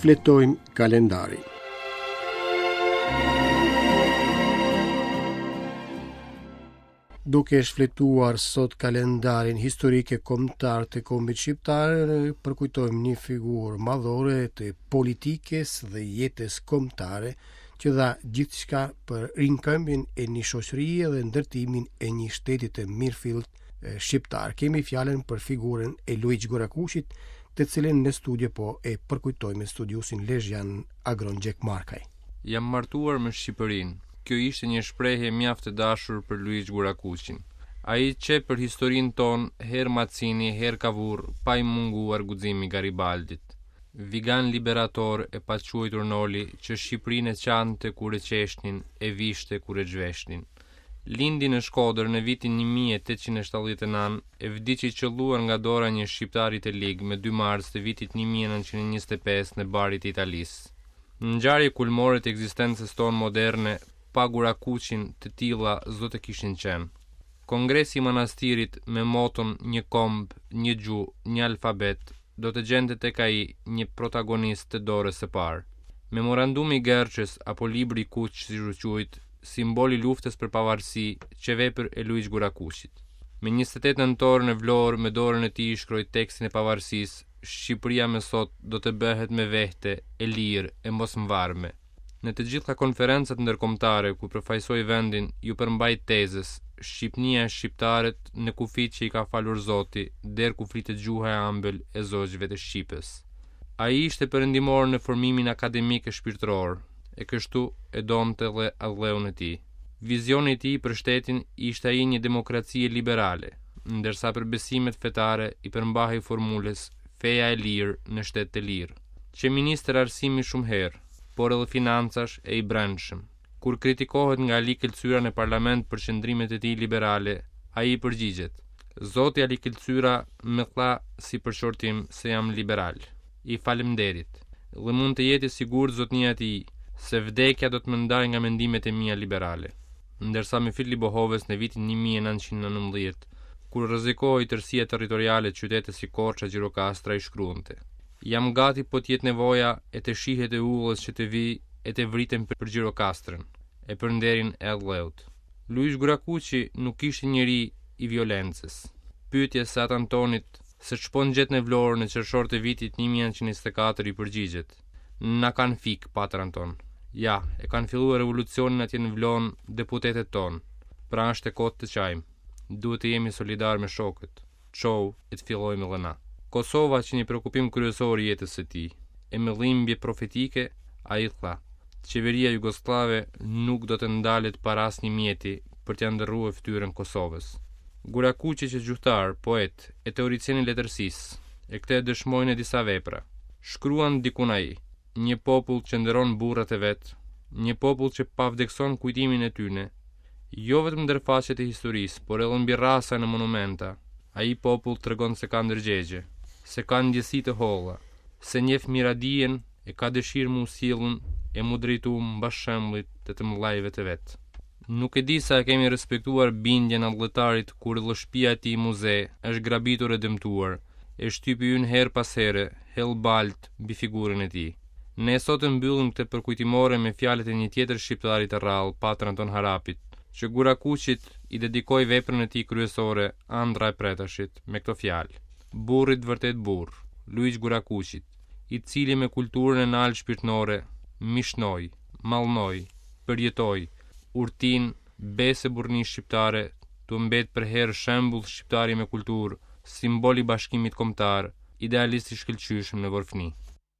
Shfletojmë kalendarin. Duke shfletuar sot kalendarin historik e kombëtar të kombit shqiptar, përkujtojmë një figurë madhore të politikës dhe jetës kombëtare që dha gjithçka për rimëkëmbjen e një shoqërie dhe ndërtimin e një shteti të mirëfilltë shqiptar. Kemi fjalën për figurën e Luigj Gurakuqit, të cilin në studio po e përkujtojmë me studiuesin lezhjan Agron Gjekmarkaj. Jam martuar me Shqipërinë. Kjo ishte një shprehje mjaft e dashur për Luigj Gurakuqin. Ai qe për historinë tonë herë Macini, herë Kavur, pa i munguar guximi Garibaldit. Vigan liberator e paquajtur Noli, që Shqipërinë e qante kur e qeshnin, e vishte kur e zhveshnin. Lindi në Shkodër në vitin 1879 e vdiq i qëlluar nga dora e një shqiptari të lig me 2 mars të vitit 1925 në Bari të Italisë. Ngjarje kulmore të ekzistencës tonë moderne pa Gurakuqin të tilla s'do të kishin qenë. Kongresi i Manastirit me moton një komb, një gjuhë, një alfabet do të gjente tek ai një protagonist të dorës së parë. Memorandumi i Gerçës apo Libri i Kuq siç u quajt, simbol i luftës për pavarësi, qe vepër e Luigj Gurakuqit. Me 28 nëntor në Vlorë me dorën e tij shkroi tekstin e pavarësisë, Shqipëria me sot do të bëhet me vehte, e lirë, e mosmvarme. Në të gjitha konferencat ndërkombëtare ku përfaqësoi vendin, iu përmbajt tezës, Shqipnia e shqiptarët në kufijtë që i ka falur Zoti, der ku flitet gjuha e ambël e zogjve të shqipes. Ai ishte perëndimor në formimin akademik e shpirtëror, e kështu e donte dhe atdheun e tij. Vizioni i tij për shtetin ishte ai i një demokracie liberale, ndërsa për besimet fetare i përmbahej formulës feja e lirë në shtet të lirë. Qe ministër arsimi shumë herë, por edhe financash e i brendshëm. Kur kritikohet nga Ali Këlcyra në parlament për qëndrimet e tij liberale, ai i përgjigjet, Zoti Ali Këlcyra më tha si përshortim se jam liberal. I faleminderit. Dhe mund të jetë i sigurt zotnia e tij se vdekja do të më ndajë nga mendimet e mia liberale. Ndërsa Myfit Libohovës në vitin 1919, kur rrezikohej tërësia territoriale qytete si Korça e Gjirokastra i shkruante. Jam gati po të jetë nevoja e të shihet e udhës që të vij e të vritem për Gjirokastrën e për nderin e atdheut. Luigj Gurakuqi nuk ishte njeri i violencës. Pyetjes së At Antonit se ç'po ngjet në Vlorë në qershor të vitit 1924 i përgjigjet. Na kanë fikë, Patër Anton. Ja, e kanë filluar revolucionin atje në Vlonë deputetët tonë. Pra është e kotë të qajmë. Duhet të jemi solidarë me shokët. Çohu e të fillojmë edhe na. Kosova qe një preokupim kryesor i jetës së tij. E me dhimbje profetike, ai tha, Qeveria jugosllave nuk do të ndalet para asnjë mjeti për t'ia ndërrue fytyrën Kosovës. Gurakuqi qe gjuhëtar, poet e teoricien i letërsisë, e këtë e dëshmoi në disa vepra. Shkruan dikun ai, Një popull që nderon burrat e vet, një popull që pavdekëson kujtimin e tyne, Jo vetëm ndër faqet e historisë, por edhe mbi rrasa e në monumenta, ai popull tregon se ka ndërgjegje, se ka ndjesi të holla, se njeh miradijen e ka dëshirë m'u sjellun e m'u drejtu mbas shembullit të të mëdhajve të vet. Nuk e di sa e kemi respektuar bindjen atdhetarit kur edhe shpia e tij muze është grabitur e dëmtuar, e shtypi ynë herë pas here hedh baltë mbi figurën e tij. Ne sot e mbyllim këtë përkujtimore me fjalët e një tjetër shqiptari të rrallë, Patër Anton Harapit, që Gurakuqit i dedikoi veprën e tij kryesore, Andrra e Pretashit, me këto fjalë, Burrit të vërtetë burrë, Luigj Gurakuqit, i cili me kulturën e naltë shpirtnore, mishnoi, mallnoi, përjetoi, urtinë, besë e burrni shqiptare, tu mbet përherë shembull shqiptari me kulturë, simbol i bashkimit kombëtar, idealist i shkëlqyeshëm në vorfni.